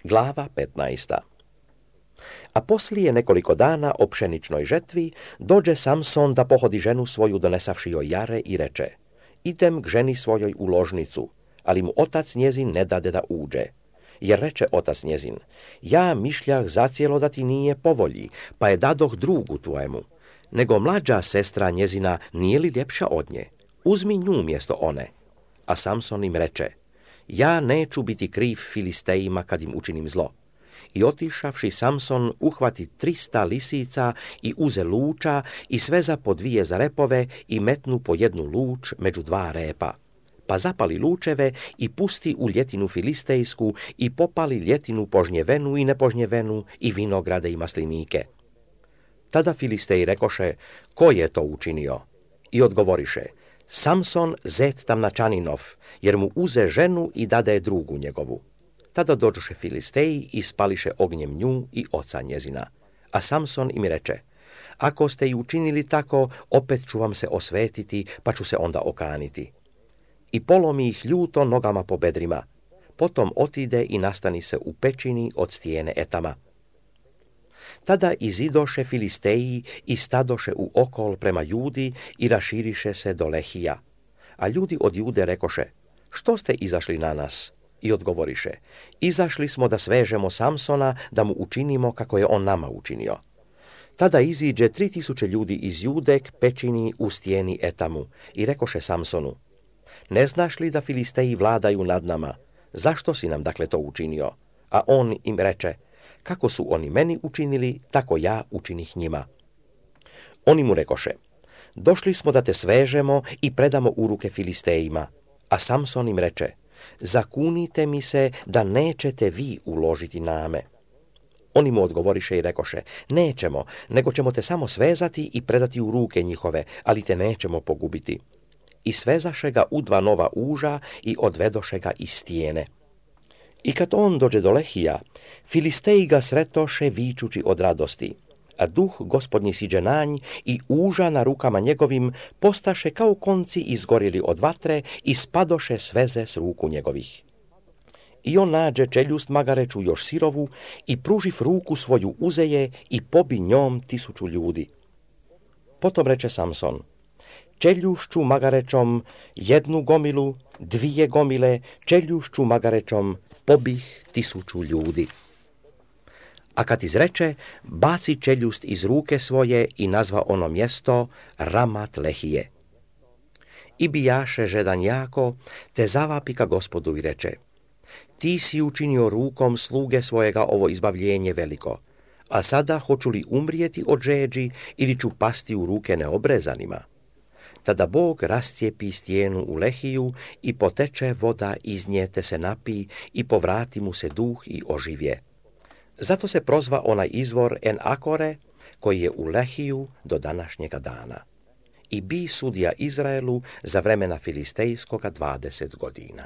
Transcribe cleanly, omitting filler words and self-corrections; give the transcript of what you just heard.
Glava 15. A poslije nekoliko dana o pšeničnoj žetvi dođe Samson da pohodi ženu svoju donesavši joj jare i reče: idem k ženi svojoj u ložnicu, ali mu otac njezin ne dade da uđe. Jer reče otac njezin: ja mišljah zacijelo da ti nije po volji, pa je dadoh drugu tvojemu. Nego mlađa sestra njezina nije li ljepša od nje? Uzmi nju mjesto one. A Samson im reče: ja neću biti kriv Filistejima kad im učinim zlo. I otišavši Samson uhvati 300 lisica i uze luča i sveza po 2 za repove i metnu po 1 luč među 2 repa. Pa zapali lučeve i pusti u ljetinu filistejsku i popali ljetinu požnjevenu i nepožnjevenu i vinograde i maslinike. Tada Filisteji rekoše: ko je to učinio? I odgovoriše: Samson zet Tamnačaninov, jer mu uze ženu i dade drugu njegovu. Tada dođoše Filisteji i spališe ognjem nju i oca njezina. A Samson im reče: ako ste i učinili tako, opet ću vam se osvetiti, pa ću se onda okaniti. I polomi ih ljuto nogama po bedrima. Potom otide i nastani se u pećini od stijene Etama. Tada izidoše Filisteji i stadoše u okol prema Judi i raširiše se do Lehija. A ljudi od Jude rekoše: što ste izašli na nas? I odgovoriše: izašli smo da svežemo Samsona, da mu učinimo kako je on nama učinio. Tada iziđe 3000 ljudi iz Jude k pećini u stijeni Etamu i rekoše Samsonu: ne znaš li da Filisteji vladaju nad nama? Zašto si nam dakle to učinio? A on im reče: kako su oni meni učinili, tako ja učinih njima. Oni mu rekoše: došli smo da te svežemo i predamo u ruke Filistejima. A Samson im reče: zakunite mi se da nećete vi uložiti na me. Oni mu odgovoriše i rekoše: nećemo, nego ćemo te samo svezati i predati u ruke njihove, ali te nećemo pogubiti. I svezaše ga u 2 nova uža i odvedoše ga iz stijene. I kad on dođe do Lehija, Filisteji ga sretoše vičući od radosti, a duh gospodnji siđe na nj i uža na rukama njegovim postaše kao konci izgorili od vatre i spadoše sveze s ruku njegovih. I on nađe čeljust magareću još sirovu i pruživ ruku svoju uzeje i pobi njom 1000 ljudi. Potom reče Samson: čeljušću magarećom 1 gomilu, 2 gomile, čeljušću magarećom pobih 1000 ljudi. A kad izreče, baci čeljust iz ruke svoje i nazva ono mjesto Ramat Lehije. I bijaše žedan jako, te zavapi ka Gospodu i reče: ti si učinio rukom sluge svojega ovo izbavljenje veliko, a sada hoću li umrijeti od žeđi ili ću pasti u ruke neobrezanima? Tada Bog rascijepi stijenu u Lehiju i poteče voda iz nje, te se napi i povrati mu se duh i oživje. Zato se prozva onaj izvor En Akore, koji je u Lehiju do današnjega dana. I bi sudija Izraelu za vremena Filistejskoga 20 godina.